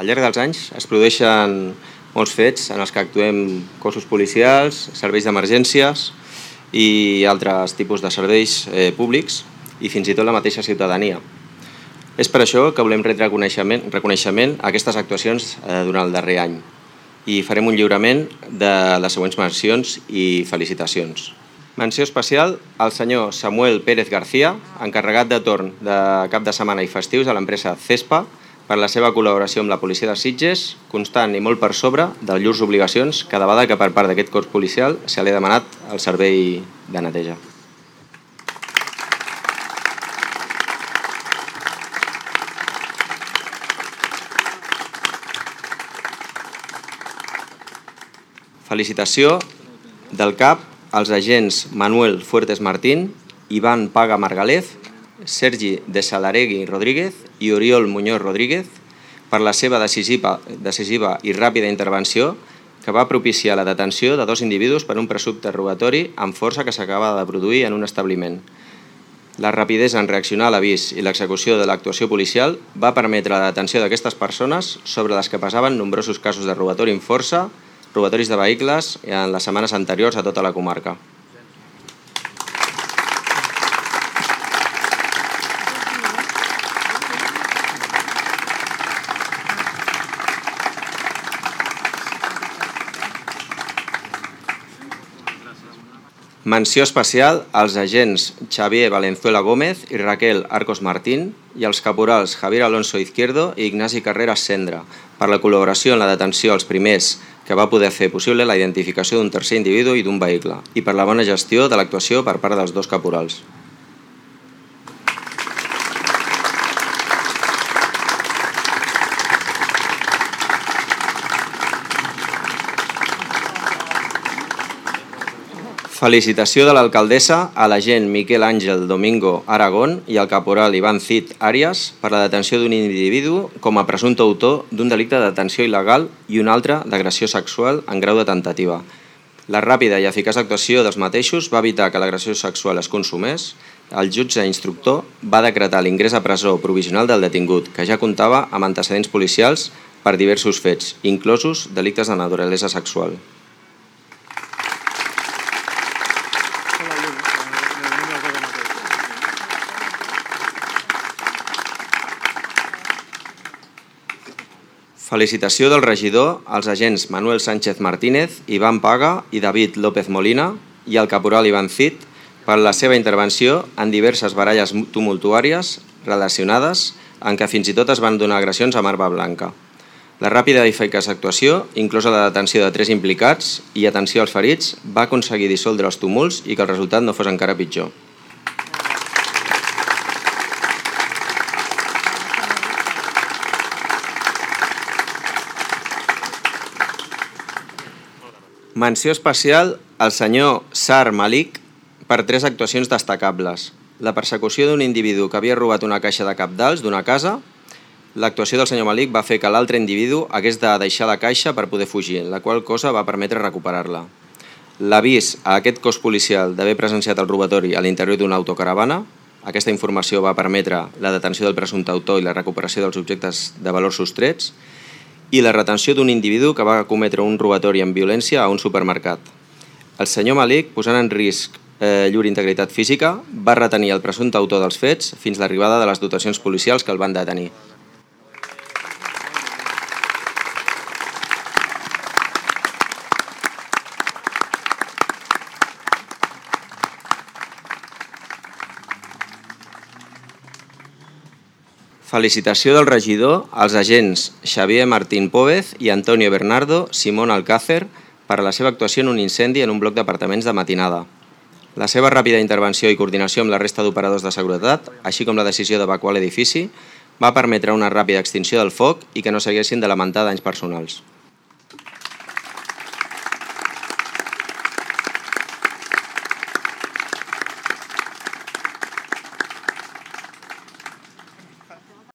Al llarg dels anys es produeixen molts fets en els que actuem cossos policials, serveis d'emergències i altres tipus de serveis públics i fins i tot la mateixa ciutadania. És per això que volem retre reconeixement a aquestes actuacions durant el darrer any i farem un lliurament de les següents mencions i felicitacions. Menció especial al senyor Samuel Pérez García, encarregat de torn de cap de setmana i festius a l'empresa CESPA, per la seva col·laboració amb la policia de Sitges, constant i molt per sobre de llurs obligacions cada vegada que per part d'aquest cos policial se li ha demanat el servei de neteja. Felicitació del CAP als agents Manuel Fuertes Martín, Iván Paga Margalef, Sergi de Salaregui Rodríguez i Oriol Muñoz Rodríguez per la seva decisiva i ràpida intervenció que va propiciar la detenció de 2 individus per un presumpte robatori amb força que s'acaba de produir en un establiment. La rapidesa en reaccionar a l'avís i l'execució de l'actuació policial va permetre la detenció d'aquestes persones sobre les que passaven nombrosos casos de robatori amb força, robatoris de vehicles en les setmanes anteriors a tota la comarca. Menció especial als agents Xavier Valenzuela Gómez i Raquel Arcos Martín i als caporals Javier Alonso Izquierdo i Ignasi Carreras Cendra per la col·laboració en la detenció als primers que va poder fer possible la identificació d'un tercer individu i d'un vehicle i per la bona gestió de l'actuació per part dels 2 caporals. Felicitació de l'alcaldessa a l'agent Miquel Àngel Domingo Aragón i al caporal Iván Cid Arias per la detenció d'un individu com a presumpte autor d'un delicte de detenció il·legal i un altre d'agressió sexual en grau de tentativa. La ràpida i eficaç actuació dels mateixos va evitar que l'agressió sexual es consumés. El jutge instructor va decretar l'ingrés a presó provisional del detingut, que ja comptava amb antecedents policials per diversos fets, inclosos delictes de naturalesa sexual. Felicitació del regidor als agents Manuel Sánchez Martínez, Iván Paga i David López Molina i al caporal Iván Cid per la seva intervenció en diverses baralles tumultuàries relacionades en què fins i tot es van donar agressions amb arma blanca. La ràpida i eficaç actuació, inclosa la detenció de 3 implicats i atenció als ferits, va aconseguir dissoldre els tumults i que el resultat no fos encara pitjor. Menció especial al senyor Sar Malik per 3 actuacions destacables. La persecució d'un individu que havia robat una caixa de cabdals d'una casa. L'actuació del senyor Malik va fer que l'altre individu hagués de deixar la caixa per poder fugir, la qual cosa va permetre recuperar-la. L'avís a aquest cos policial d'haver presenciat el robatori a l'interior d'una autocaravana. Aquesta informació va permetre la detenció del presumpte autor i la recuperació dels objectes de valor sostrets i la retenció d'un individu que va cometre un robatori amb violència a un supermercat. El senyor Malik, posant en risc llur integritat física, va retenir el presumpte autor dels fets fins a l'arribada de les dotacions policials que el van detenir. Felicitació del regidor als agents Xavier Martín Póvez i Antonio Bernardo Simón Alcácer per la seva actuació en un incendi en un bloc d'apartaments de Matinada. La seva ràpida intervenció i coordinació amb la resta d'operadors de seguretat, així com la decisió d'evacuar l'edifici, va permetre una ràpida extinció del foc i que no s'haguessin de lamentar danys personals.